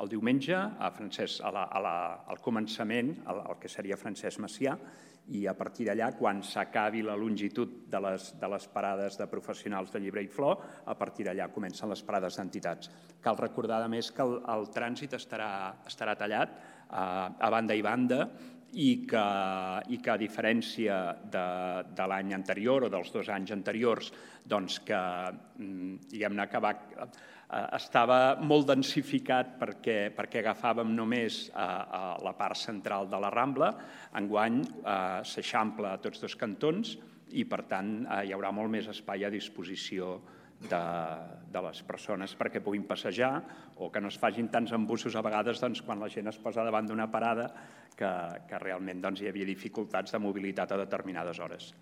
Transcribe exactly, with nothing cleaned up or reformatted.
el diumenge, a Francesc, a la, a la, al començament, el, el que seria Francesc Macià, i a partir d'allà, quan s'acabi la longitud de les, de les parades de professionals de Llibre i Flor, a partir d'allà comencen les parades d'entitats. Cal recordar, a més, que el, el trànsit estarà, estarà tallat a, a banda i banda, i que, i que a diferència de, de l'any anterior o dels dos anys anteriors, doncs que, diguem-ne, que va, estava molt densificat perquè, perquè agafàvem només a, a la part central de la Rambla, enguany s'eixampla a tots dos cantons i, per tant, hi haurà molt més espai a disposició de, de les persones perquè puguin passejar o que no es facin tants embussos a vegades doncs, quan la gent es posa davant d'una parada que, que realment doncs, hi havia dificultats de mobilitat a determinades hores.